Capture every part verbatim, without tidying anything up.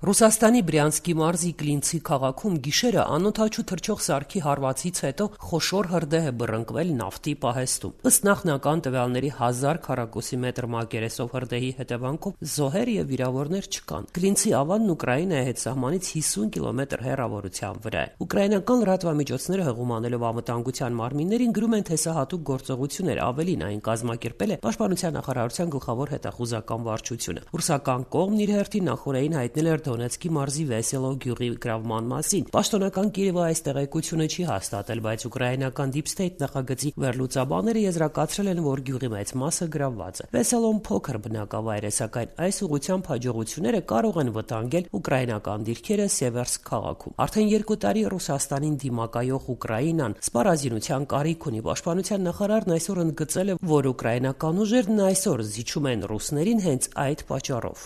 Ռուսաստանի Բրյանսկի մարզի Կլինցի քաղաքում գիշերը անօդաչու թռչող սարքի հարվածից հետո խոշոր հրդեհ է բռնկվել նավթի պահեստում։ Ըստ նախնական տվյալների հազար քառակուսի մետր մակերեսով հրդեհի հետևանքով զոհեր եւ վիրավորներ չկան։ Կլինցի ավանն Ուկրաինայի հետ սահմանից հիսուն կիլոմետր հեռավորության վրա է։ Ուկրաինական լրատվամիջոցները հղումանելով անվտանգության մարմիններին գրում են, թե սա հատուկ գործողություն էր, ավելին այն կազմակերպել է Պաշտպանության նախարարության գլխավոր հետախուզական վարչությունը։ Ռուսական կողմն իր հերթին նախորդին հայտնել էր Դոնեցկի մարզի Վեսելո գյուղի գրավման մասին։ Պաշտոնական Կիևը այս տեղեկությունը չի հաստատել, բայց ուկրաինական Deep State նախագծի վերլուծաբանները եզրակացրել են, որ գյուղի մեծ մասը գրավված է։ Վեսելոն փոքր բնակավայր է, սակայն այս ուղղությամբ հաջողությունները կարող են վտանգել ուկրաինական դիրքերը Սևերսկ քաղաքում։ Արդեն երկու տարի Ռուսաստանին դիմակայող Ուկրաինան սպառազինության կարիք ունի։ Պաշտպանության նախարարն այսօր ընդգծել է, որ ուկրաինական ուժերն այսօր զիջում են ռուսներին հենց այդ պատճառով։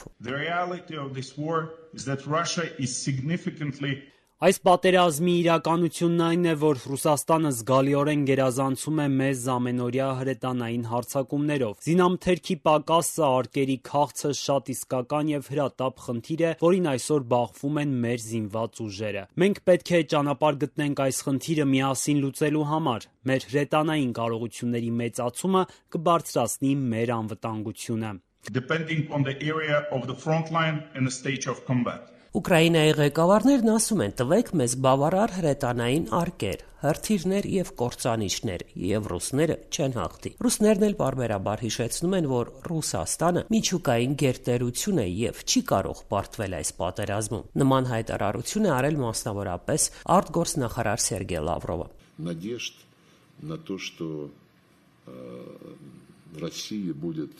Is that Russia is significantly Այս պատերազմի իրականությունն այն է, որ Ռուսաստանը զգալիորեն գերազանցում է մեզ ամենօրյա հրետանային հարձակումներով։ Զինամթերքի պակասը, արկերի քաղցը շատ իսկական եւ հրատապ խնդիր է, որին այսօր բախվում են մեր զինված ուժերը։ Մենք պետք է ճանապարհ գտնենք այս խնդիրը միասին լուծելու համար։ Մեր հրետանային կարողությունների մեծացումը կբարձրացնի մեր անվտանգությունը։ Depending on the area of the front line and the stage of combat. Ուկրաինայի ղեկավարներն ասում են, տվեք մեզ բավարար հրետանային արկեր, հրթիռներ եւ կործանիչներ, եւ ռուսները չեն հաղթի։ Ռուսներն էլ բարբերաբար հիշեցնում են, որ Ռուսաստանը միջուկային գերտերություն է եւ չի կարող պարտվել այս պատերազմում։ Նման հայտարարություն է արել մասնավորապես արտգործնախարար Սերգեյ Լավրովը։ Надежд на то, что Россия будет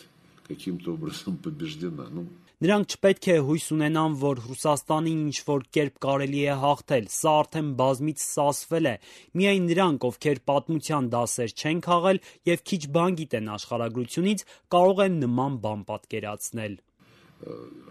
каким-то образом побеждена. Ну Նրանք չպետք է հույս ունենան, որ Ռուսաստանին ինչ-որ կերպ կարելի է հաղթել, սա արդեն բազմիցս ասվել է։ Միայն նրանք, ովքեր պատմության դասեր չեն քաղել եւ քիչ բան գիտեն աշխարհագրությունից, կարող են նման բան պատկերացնել։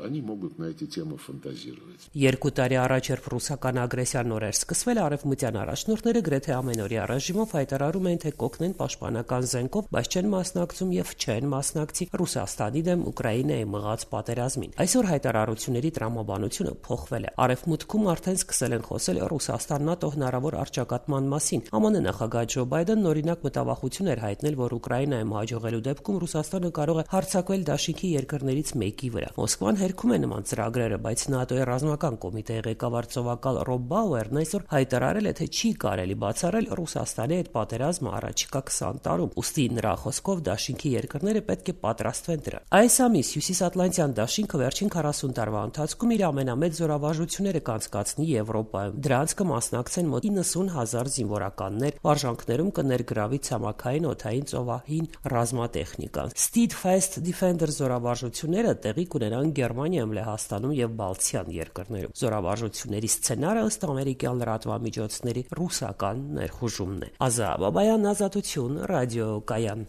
Они могут на эти темы фантазировать. Երկու տարի առաջ, երբ ռուսական ագրեսիան նոր էր սկսվել, արևմտյան առաջնորդները գրեթե ամենօրյա ռեժիմով հայտարարում էին, թե կօգնեն պաշտպանական զենքով, բայց չեն մասնակցում եւ չեն մասնակցի Ռուսաստանի դեմ Ուկրաինայի մղած պատերազմին։ Այսօր հայտարարությունների տրամաբանությունը փոխվել է։ Արևմուտքում արդեն սկսել են խոսել Ռուսաստան-ՆԱՏՕ հնարավոր առճակատման մասին։ ԱՄՆ նախագահ Ջո Բայդենն օրինակ մտավախություն էր հայտնել, որ Ուկրաինայում հաջողելու դեպքում Ռուսաստանը կարող է հարձակվել դաշինքի երկրներից մեկի վրա։ Մոսկվան հերքում է նման ծրագրերը, բայց ՆԱՏՕ-ի ռազմական կոմիտեի ղեկավար ծովակալ Ռոբ Բաուերն այսօր հայտարարել է, թե չի կարելի բացառել Ռուսաստանի հետ պատերազմը առաջիկա քսան տարում։ Ուստի նրա խոսքով դաշինքի երկրները պետք է պատրաստվեն դրան։ Այս ամիս Հյուսիսատլանտյան դաշինքը վերջին քառասուն տարվա ընթացքում իր ամենամեծ զորավարժությունները կանցկացնի Եվրոպայում։ Դրանց կմասնակցեն մոտ իննսուն հազար զինվորականներ, վարժանքներում կներգրավի ցամաքային, օդային, ծովային ռազմատեխնիկան։ Steadfast Defender զորավարժությունները տեղի կունենան Գերմանիայում, Լեհաստանում եւ Բալթյան երկրներում։ Զորավարժությունների սցենարը ըստ ամերիկյան լրատվամիջոցների ռուսական ներխուժումն է։ Ազա Բաբայան, Ազատություն, ռադիոկայան։